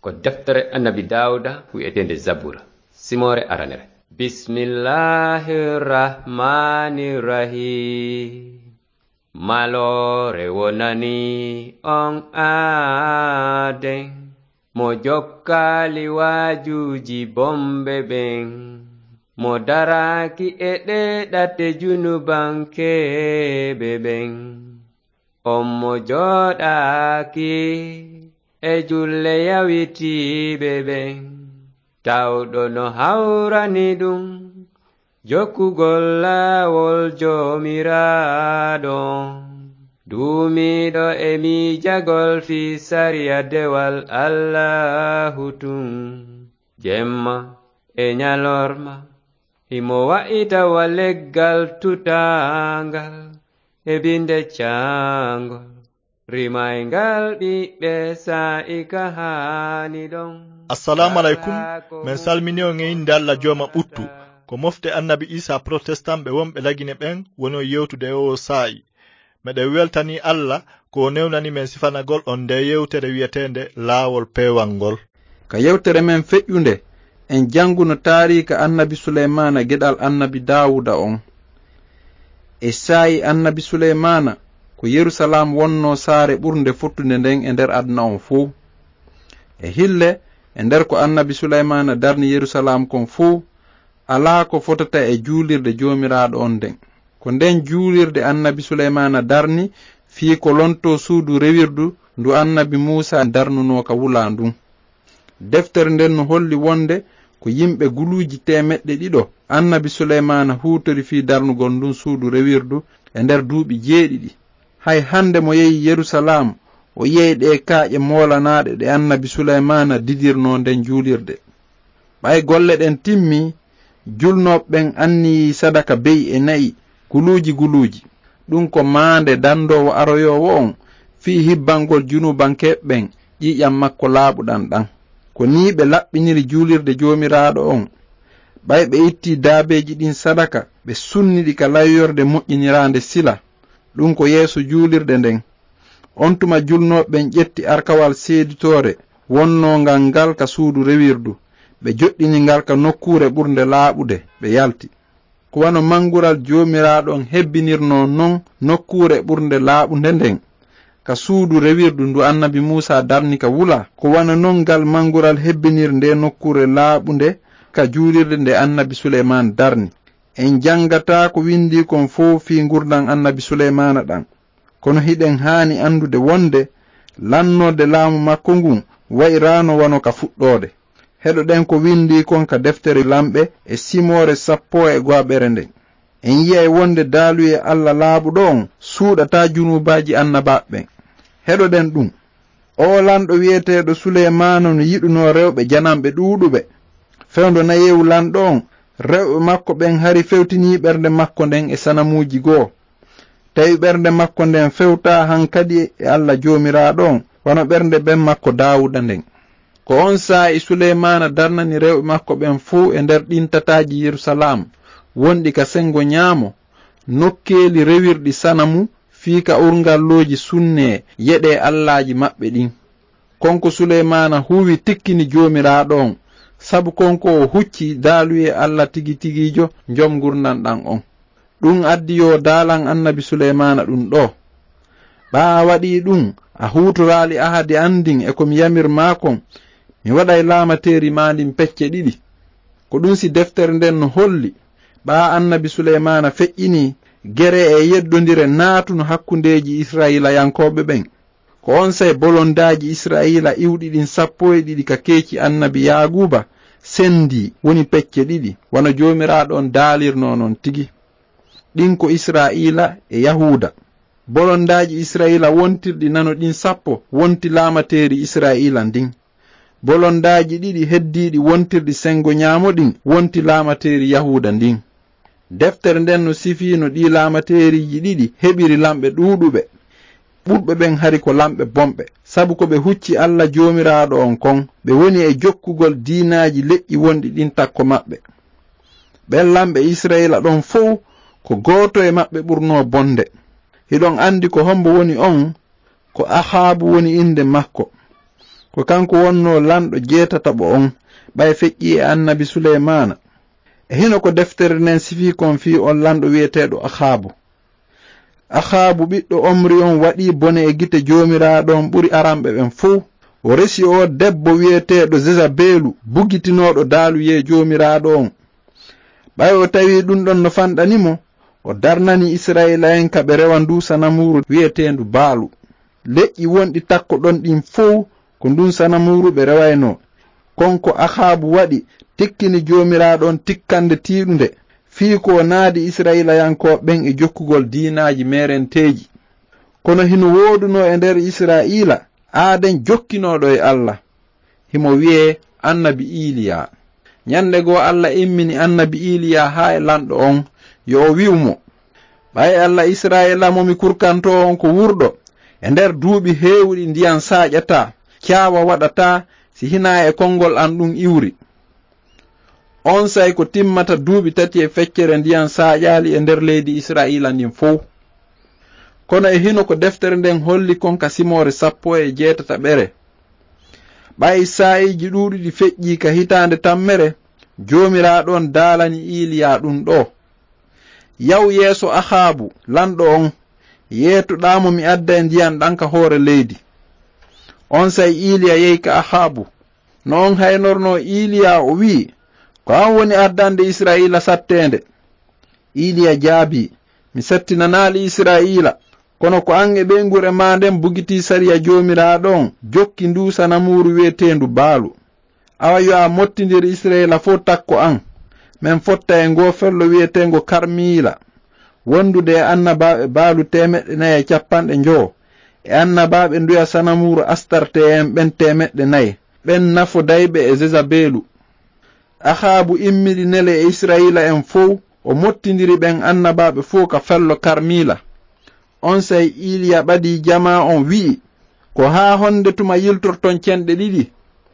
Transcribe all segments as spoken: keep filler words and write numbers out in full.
Ko deftere Annabi Daawuda wi'eteende Zabura, simoore aranere. Bismillahir Rahmanir Rahim. Maloore wonani on aaden, mo jokkaali waajuuji bonɓe ɓen, mo daraaki e ɗee ɗate junubankeeɓe ɓen. On mo jooɗaaki e julle yawitiiɓe ɓen, tawɗo no hawrani ɗum jokkugol laawol Joomiraaɗo on. Duumiiɗo e miijagol fii sariya dewal Allaahu tun, jemma e ñalorma, himo wa'ita wa leggal tutaangal e binde caangol. Rimayngal ɓiɓɓe saa'i ka haani ɗon. Assalaamu aleykum. Men salmini on e innde Alla Jooma ɓuttu. Ko mofte Annabi Iisaa protestant ɓe wonɓe Lagine ɓen woni on yewtude e oo saa'i. Meɗen weltanii Alla ko o newnani men sifanagol on ndee yewtere wi'eteende Laawol Peewal ngol. Ka yewtere men feƴƴunde, en jannguno taariika Annabi Suleymaana geɗal Annabi Daawuda on. E saa'i Annabi Suleymaana, ko Yerusalaam wonnoo saare ɓurnde fottunde nden e nder aduna on fow. E hille, e nder ko Annabi Suleymaana darni Yerusalaam kon fow, alaa ko fotata e juulirde Joomiraaɗo on nden. Ko nden juulirde Annabi Suleymaana darni fii ko lontoo suudu rewirdu ndu Annabi Muusaa darnunoo ka wulaa ndun. Deftere nden no holli wonde ko yimɓe guluuji teemeɗɗe ɗiɗo Annabi Suleymaana huutori fii darnugol ndun suudu rewirdu e nder duuɓi jeeɗiɗi. Hay hande mo yehi Yerusalaam, o yi'ay ɗee kaaƴe moolanaaɗe ɗe Annabi Suleymaana didirnoo nden juulirde. Ɓay golle ɗen timmii, julnooɓe ɓen anniyii sadaka be'i e na'i guluuji guluuji. Ɗun ko maande dandoowo aroyoowo on fii hibbangol junubankeeɓe ɓen ƴiiƴan makko laaɓuɗan ɗan. Ko nii ɓe laɓɓiniri juulirde Joomiraaɗo on. Ɓay ɓe ittii daabeeji ɗin sadaka, ɓe sunni ɗi ka layyorde moƴƴiniraande sila. Ɗun ko yeeso juulirde nden. On tuma julnooɓe ɓen ƴetti arkawal seeditoore wonnoongal ngal ka suudu rewirdu, ɓe joɗɗini ngal ka nokkuure ɓurnde laaɓude, ɓe yalti. Ko wano mangural Joomiraaɗo on hebbinirnoo non nokkuure ɓurnde laaɓunde nden, ka suudu rewirdu ndu Annabi Muusaa darni ka wula, ko wano non ngal mangural hebbinir ndee nokkuure laaɓunde ka juulirde nde Annabi Suleymaan darni. En janngataa ko windii kon fow fii ngurndan Annabi Suleymaana ɗan. Kono hiɗen haani anndude wonde lannoode laamu makko ngun wa'iraano wano ka fuɗɗoode. Heɗoɗen ko windii kon ka deftere Lamɓe e simoore sappo e go'aɓere nden. En yi'ay wonde daaluyee Alla laaɓuɗo on suuɗataa junuubaaji annabaaɓe ɓen. Heɗoɗen ɗun. Oo lanɗo wi'eteeɗo Suleymaana no yiɗunoo rewɓe jananɓe ɗuuɗuɓe. Fewndo nayeewu lanɗo on, rewɓe makko ɓen hari fewtinii ɓernde makko nden e sanamuuji goo. Tawi ɓernde makko nden fewtaa hankadi e Alla Joomiraaɗo on, wano ɓernde ben makko Daawuda nden. Ko on saa'i Suleymaana darnani rewɓe makko ɓen fow e nder ɗin tataaji Yerusalaam, wonɗi ka sengo ɲaamo, nokkeeli rewirɗi sanamu fii ka urngallooji sunnee yeɗee allaaji maɓɓe ɗin. Kon ko Suleymaana huuwi tikkini Joomiraaɗo on, sabu kon ko o hucci daaluyee Alla tigi tigiijo, Jom ngurndan ɗan on. Ɗun addi yo daalan Annabi Suleymaana ɗun ɗoo. Ɓaa a waɗii ɗun, a huutoraali ahadi an ndin e ko mi yamir maa kon, mi waɗay laamateeri maa ndin pecce ɗiɗi. Ko ɗun si deftere nden no holli, ɓaa Annabi Suleymaana feƴƴinii, gere e yeddondire naatuno hakkundeeji Israa'iilayankooɓe ɓen. Ko onsay bolondaaji Israa'iila iwɗi ɗin sappo e ɗiɗi ka keeci Annabi Yaaquuba sendii, woni pecce ɗiɗi, wano Joomiraaɗo on daalirnoo non tigi. Ɗin ko Israa'iila e Yahuuda. Bolondaaji Israa'iila wontirɗi nano ɗin sappo wonti laamateeri Israa'iila ndin. Bolondaaji ɗiɗi heddiiɗi wontirɗi sengo ɲaamo ɗin wonti laamateeri Yahuuda ndin. Deftere nden no sifiino ɗii laamateeriiji ɗiɗi heɓiri lamɓe ɗuuɗuɓe. Ɓurɓe ɓen hari ko lamɓe bonɓe, sabu ko ɓe hucci Alla Joomiraaɗo on kon, ɓe woni e jokkugol diinaaji leƴƴi wonɗi ɗin takko maɓɓe. Ɓen lamɓe Israa'iila ɗon fow, ko gooto e maɓɓe ɓurnoo bonde. Hiɗon andi ko hombo woni on? Ko Ahaabu woni innde makko. Ko kanko wonnoo lanɗo jeetataɓo on, ɓay feƴƴii e annabi Suleymaana. E hino ko deftere nden sifii kon fii on lanɗo wi'eteeɗo Ahaabu. Ahaabu ɓiɗɗo Omri on waɗii bone e gite Joomiraaɗo on ɓuri aranɓe ɓen fow. O resi oo debbo wi'eteeɗo Zezabeelu, bugitinooɗo daaluyee Joomiraaɗo on. Ɓay o tawii ɗun ɗon no fanɗani mo, o darnani Isra'iila'en ka ɓe rewa nduu sanamuuru wi'eteendu Baalu. Leƴƴi wonɗi takko ɗon ɗin fow, ko ndun sanamuuru ɓe rewaynoo. Kon ko Ahaabu waɗi tikkini Joomiraaɗo on tikkande tiiɗunde, fii ko o naadi Isra'iilayankooɓe ɓen e jokkugol diinaaji meerenteeji. Kono hino woodunoo e nder Isra'iila aaden jokkinooɗo e Alla. Himo wi'ee annabi Iiliya. Ɲande goo Alla immini annabi Iiliya haa e lanɗo on, yo o wi'u mo, ɓay Alla Isra'iila mo mi kurkantoo on ko wurɗo, e nder duuɓi heewuɗi ndiyan saaƴataa, caawa waɗataa si hinaa e konngol an ɗun iwri. Onsay ko timmata duuɓi tati e feccere ndiyan saaƴaali e nder leydi Isra'iila ndin fow. Kono e hino ko deftere nden holli kon ka simoore sappo e jeetataɓere. Ɓay saa'iiji ɗuuɗuɗi feƴƴii ka hitaande tammere, Joomiraaɗo on daalani Iiliya ɗun ɗoo. Yaw yeeso Ahaabu, lanɗo on, yeetoɗaa mo mi adday ndiyan ɗan ka hoore leydi. Onsay Iiliya yehi ka Ahaabu. No on haynornoo Iiliya, o wi'i, ko an woni addande Isra'iila satteende. Iiliya jaabii, mi sattinanaali Isra'iila, kono ko an e ɓeynguure maa nden bugitii sariya Joomiraaɗo on, jokki nduu sanamuuru wi'eteendu Baalu. Awa yo a mottindir Isra'iila fow takko an. Men fotta e ngoo fello wi'eteengo Karmiila, wondude e annabaaɓe Baalu teemeɗɗe nayi e cappanɗe njowo, e annabaaɓe nduya sanamuuru Astarte en ɓen teemeɗɗe nayi, ɓen nafodayɓe e Zezabeelu. Ahaabu immiri nele e Isra'iila'en fow, o mottindiri ɓen annabaaɓe fow ka fello Karmiila. Onsay Iiliya ɓadii jamaa on wi'i, ko haa honde tuma yiltorton cenɗe ɗiɗi?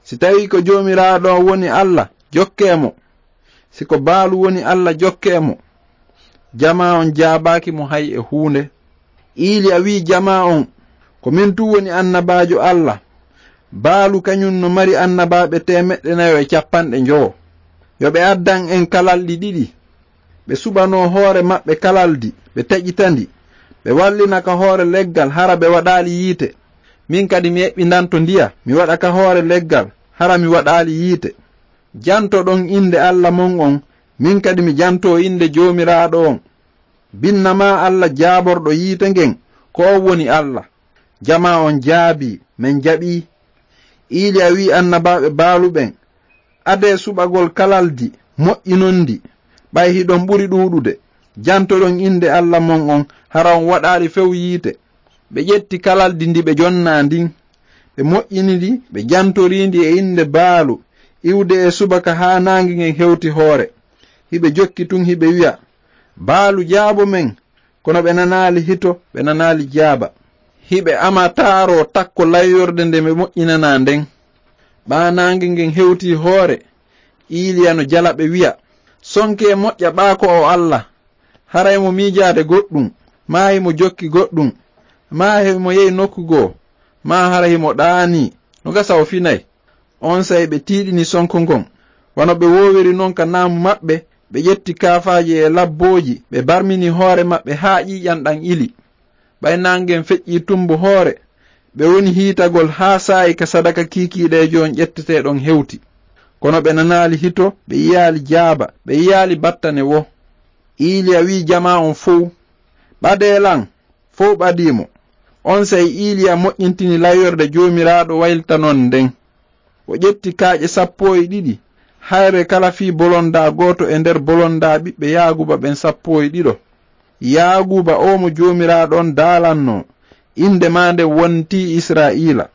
Si tawii ko Joomiraaɗo on woni Alla, jokkee mo. Si ko Baalu woni Alla, jokkee mo. Jamaa on jaabaaki mo hay e huunde. Iiliya wi'i jamaa on, ko min tun woni annabaajo Alla. Baalu kaɲun no mari annabaaɓe teemeɗɗe nayo e cappanɗe njowo. Yo ɓe addan en kalalɗi ɗiɗi. Ɓe suɓanoo hoore maɓɓe kalaldi, ɓe taƴita ndi. Ɓe wallina ka hoore leggal, hara ɓe waɗaali yiite. Min kadi mi eɓɓindanto ndiya, mi waɗa ka hoore leggal, hara mi waɗaali yiite. Jantoɗon innde Alla mon on, min kadi mi jantoo innde Joomiraaɗo on. Binna maa Alla jaaborɗo yiite ngen, ko on woni Alla. Jamaa on jaabii, men jaɓii. Iiliya wi'i annabaaɓe Baalu ɓen, adee suɓagol kalaldi, moƴƴinon ndi, ɓay hiɗon ɓuri ɗuuɗude. Jantoɗon innde Alla mon on, hara on waɗaali few yiite. Ɓe ƴetti kalaldi ndi ɓe jonnaa ndin. Ɓe moƴƴini ndi, ɓe jantorii ndi e innde Baalu, iwde e subaka haa naange ngen hewti hoore. Hiɓe jokki tun hiɓe wi'a, Baalu jaabo men, kono ɓe nanaali hito, ɓe nanaali jaaba. Hiɓe ama taaroo takko layyorde nde ɓe moƴƴinanaa nden. Ɓaa naange ngen hewtii hoore, Iiliya no jala ɓe wi'a, sonkee moƴƴa ɓaa ko o Alla. Haray mo miijaade goɗɗun, maa himo jokki goɗɗun, maa himo yehi nokku goo, maa hara himo ɗaanii, no gasa o finay. Onsay ɓe tiiɗini sonko ngon. Wano ɓe woowiri non ka naamu maɓɓe, ɓe ƴetti kaafaaji e labbooji, ɓe barmini hoore maɓɓe haa ƴiiƴan ɗan ili. Ɓay naangen feƴƴii tumbo hoore, ɓe woni hiitagol haa saa'i ka sadaka kiikiiɗeejo on ƴetteteeɗon hewti. Kono ɓe nanaali hito, ɓe yi'aali jaaba, ɓe yi'aali battane woo. Iiliya wi'i jamaa on fow, ɓadee lan, fow ɓadii mo. Onsay Iiliya moƴƴintini layyorde Joomiraaɗo waylitanon nden. O ƴetti kaaƴe sappo e ɗiɗi, hayre kala fii bolondaa gooto e nder bolondaa ɓiɓɓe Yaaguuba ɓen sappo e ɗiɗo. Yaaguuba oo mo Joomiraaɗo on daalannoo, innde maa nden wontii Isra'iila.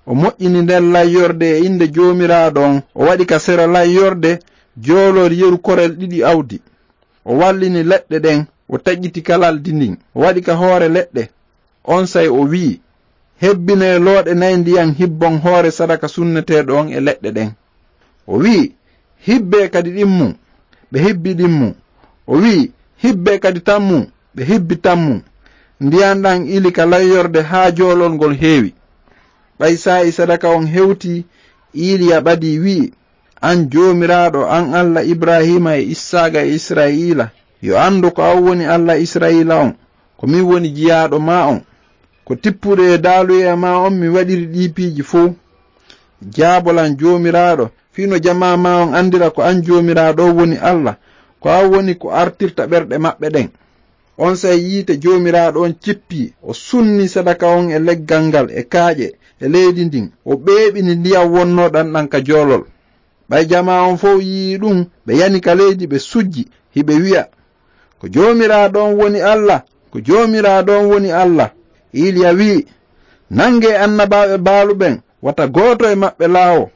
O moƴƴini nden layyorde e innde Joomiraaɗo on, o waɗi ka sera layyorde joolol yeru korel ɗiɗi awdi. O wallini leɗɗe ɗen, o taƴiti kalaldi ndin, o waɗi ka hoore leɗɗe. Onsay o wi'i, hebbinee looɗe nayi ndiyan hibbon hoore sadaka sunneteeɗo on e leɗɗe ɗen. O wi'i, hibbee kadi ɗin mum, ɓe hibbi ɗin mum. O wi'i, hibbee kadi tan mum, ɓe hibbi tan mum. Ndiyan ɗan ili ka layyorde haa joolol ngol heewi. Ɓay saa'i sadaka on hewtii, Iiliya ɓadii, wi'i, "An Joomiraaɗo, an Alla Ibrahiima e Issaaqa e Isra'iila, yo anndu ko an woni Alla Isra'iila on, ko min woni jiyaaɗo maa on. Ko tippude e daaluyee maa on mi waɗiri ɗii piiji fow. Jaabo lan Joomiraaɗo, fii no jamaa maa on anndira ko an Joomiraaɗo on woni Alla, ko an woni ko artirta ɓerɗe maɓɓe ɗen." Onsay yiite Joomiraaɗo on cippii, o sunni sadaka on e leggal ngal, e kaaƴe, e leydi ndin, o ɓeeɓini ndiyan wonnooɗan ɗan ka joolol. Ɓay jamaa on fow yi'ii ɗun, ɓe yani ka leydi, ɓe sujji, hiɓe wi'a, "Ko Joomiraaɗo on woni Alla, ko Joomiraaɗo on woni Alla." Iiliya wi'i, "Nangee annabaaɓe Baalu ɓen, wata gooto e maɓɓe laawo."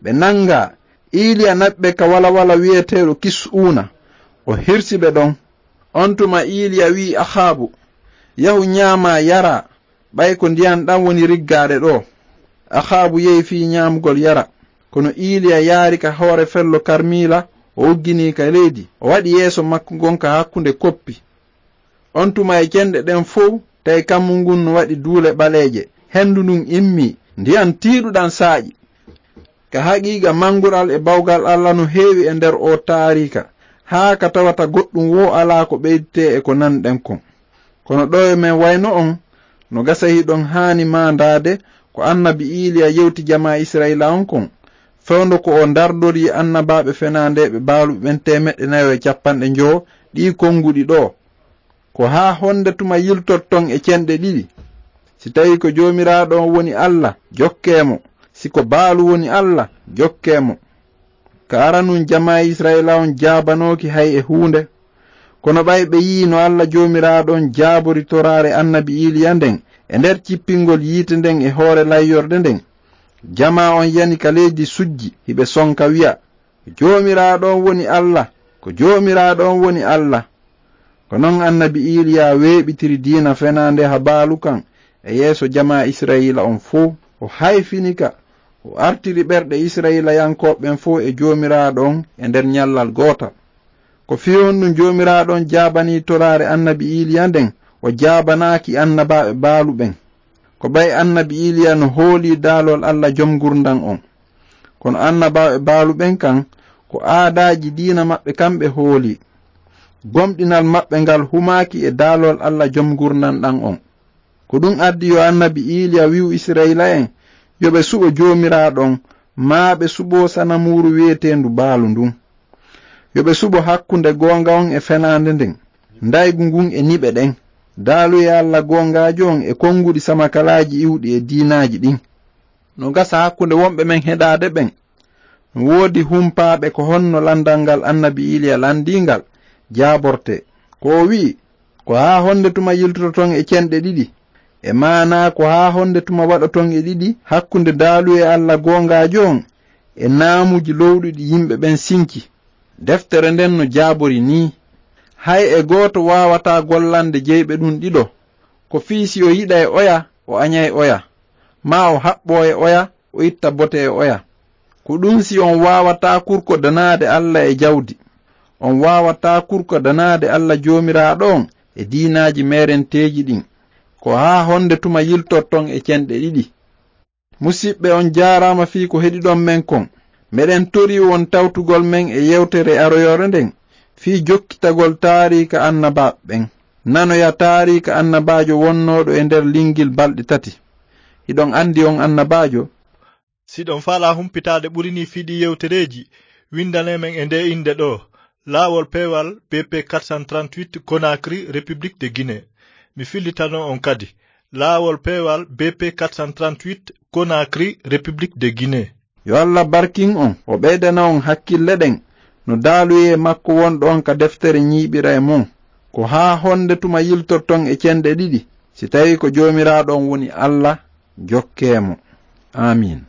Ɓe nangaa, Iiliya naɓi ɓe ka walawala wi'eteeɗo Kis'uuna, o hirsi ɓe ɗon. On tuma Iiliya wi'i Ahaabu, "Yahu ɲaamaa yaraa, ɓay ko ndiyan ɗan woni riggaade ɗoo." Ahaabu yehi fii ɲaamugol yara. Kono Iiliya yaari ka hoore fello Karmiila, o uggini ka leydi, o waɗi yeeso makko ngon ka hakkunde koppi. On tuma e cenɗe ɗen fow, tawi kammu ngun no waɗi duule ɓaleeje. Hendu ndun immii, ndiyan tiiɗuɗan saaƴi. Ka haqiiqa, mangural e bawgal Alla no heewi e nder oo taariika, haa ka tawata goɗɗun woo alaa ko ɓeydetee e ko nanɗen kon. Kono ɗoo e men wayno on, no gasa hiɗon haani maandaade ko annabi Iiliya yewti jamaa Isra'iila on kon, fewndo ko o dardorii annabaaɓe fenaandeeɓe Baalu ɓen teemeɗɗe nayo e cappanɗe njowo ɗii konguɗi ɗoo. Ko haa honde tuma yiltorton e cenɗe ɗiɗi? Si tawii ko Joomiraaɗo on woni Alla, jokkee mo. Si ko Baalu woni Alla, jokkee mo. Ka aranun jamaa Isra'iila on jaabanooki hay e huunde. Kono ɓay ɓe yi'i no Alla Joomiraaɗo on jaabori toraare annabi Iiliya nden e nder cippingol yiite nden e hoore layyorɗe nden, jamaa on yani ka leydi sujji, hiɓe sonka wi'a, "Joomiraaɗo on woni Alla, ko Joomiraaɗo on woni Alla." Ko non annabi Iiliya weeɓitiri diina fenaande ha Baalu kan e yeeso jamaa Isra'iila on fow. O hayfini ka, o artiri ɓerɗe Isra'iilayankooɓe ɓen fow e Joomiraaɗo on e nder ɲallal gootal. Ko fii honɗun Joomiraaɗo on jaabanii toraare annabi Iiliya nden, o jaabanaaki annabaaɓe Baalu ɓen? Ko ɓay annabi Iiliya no hoolii daalol Alla Jom Ngurndan on. Kono annabaaɓe Baalu ɓen kan, ko aadaaji diina maɓɓe kan ɓe hoolii. Gomɗinal maɓɓe ngal humaaki e daalol Alla Jom Ngurndan ɗan on. Ko ɗun addi yo annabi Iiliya wi'u Isra'iila'en yo ɓe suɓo Joomiraaɗo on, maa ɓe suɓoo sanamuuru wi'eteendu Baalu ndun. Yo ɓe suɓo hakkunde goonga on e fenaande nden, ndaygu ngun e niɓe ɗen, daaluyee Alla goongaajo on e konguɗi samakalaaji iwɗi e diinaaji ɗin. No gasa hakkunde wonɓe men heɗaade ɓen, no woodi humpaaɓe ko honno landal ngal annabi Iiliya landii ngal jaabortee. Ko o wi'i, "Ko haa honde tuma yiltoton e cenɗe ɗiɗi?" E maanaa, "Ko haa honde tuma waɗoton e ɗiɗi hakkunde daaluyee Alla goongaajo on e naamuuji lowɗuɗi yimɓe ɓen sinki?" Deftere nden no jaabori nii, "Hay e gooto waawataa gollande jeyɓe ɗun ɗiɗo. Ko fii si o yiɗay oya, o aɲay oya, maa o haɓɓoo e oya, o itta bote e oya. Ko ɗun si on waawataa kurkodanaade Alla e jawdi, on waawataa kurkodanaade Alla Joomiraaɗo on e diinaaji meerenteeji ɗin. Ko haa honde tuma yiltorton e cenɗe ɗiɗi?" Musiɓɓe, on jaaraama fii ko heɗiɗon men kon. Meɗen torii on tawtugol men e yewtere aroyoore nden fii jokkitagol taariika annabaaɓe ɓen. Nanoya taariika annabaajo wonnooɗo e nder lingil balɗe tati. Hiɗon andi on annabaajo? Siɗon faalaa humpitaade ɓuri nii fii ɗii yewtereeji, windanee men e ndee innde ɗoo, Laawol Peewal B P quatre cent trente-huit, Conakry, République de Guinée. Mi fillitanoo on kadi, Laawol Peewal B P quatre cent trente-huit, Conakry, République de Guinée. Yo Alla barkin on, o ɓeydana on hakkille ɗen no daaluyee makko wonɗo on ka deftere ɲiiɓira e mon. Ko haa honde tuma yiltorton e cenɗe ɗiɗi? Si tawii ko Joomiraaɗo on woni Alla, jokkee mo. Aamiin.